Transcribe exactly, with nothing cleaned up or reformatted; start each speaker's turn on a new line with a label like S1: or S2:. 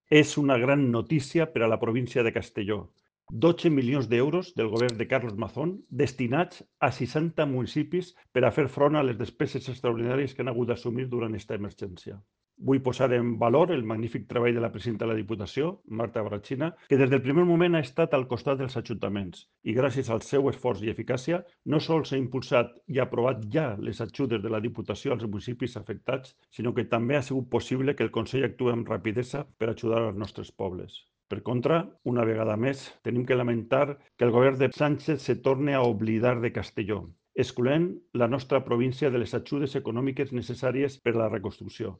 S1: És una gran notícia per a la província de Castelló. dotze milions d'euros del govern de Carlos Mazón destinats a seixanta municipis per a fer front a les despeses extraordinàries que han hagut d'assumir durant aquesta emergència. Vull posar en valor el magnífic treball de la presidenta de la Diputació, Marta Brachina, que des del primer moment ha estat al costat dels ajuntaments i gràcies al seu esforç i eficàcia no sols ha impulsat i aprovat ja les ajudes de la Diputació als municipis afectats, sinó que també ha sigut possible que el Consell actuï amb rapidesa per ajudar als nostres pobles. Per contra, una vegada més, tenim que lamentar que el govern de Sánchez se torni a oblidar de Castelló, excloent la nostra província de les ajudes econòmiques necessàries per a la reconstrucció.